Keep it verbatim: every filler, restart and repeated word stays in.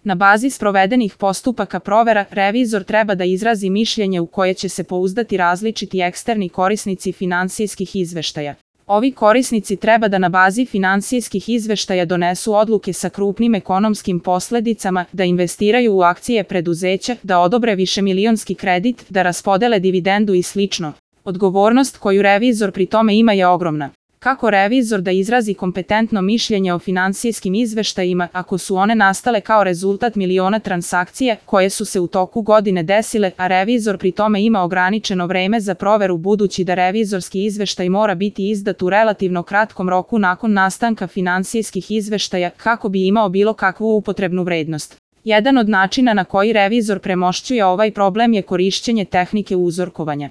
Na bazi sprovedenih postupaka provera, revizor treba da izrazi mišljenje u koje će se pouzdati različiti eksterni korisnici finansijskih izveštaja. Ovi korisnici treba da na bazi finansijskih izveštaja donesu odluke sa krupnim ekonomskim posledicama, da investiraju u akcije preduzeća, da odobre višemilionski kredit, da raspodele dividendu i slično. Odgovornost koju revizor pri tome ima je ogromna. Kako revizor da izrazi kompetentno mišljenje o finansijskim izveštajima ako su one nastale kao rezultat miliona transakcija koje su se u toku godine desile, a revizor pri tome ima ograničeno vreme za proveru budući da revizorski izveštaj mora biti izdat u relativno kratkom roku nakon nastanka finansijskih izveštaja kako bi imao bilo kakvu upotrebnu vrednost. Jedan od načina na koji revizor premošćuje ovaj problem je korišćenje tehnike uzorkovanja.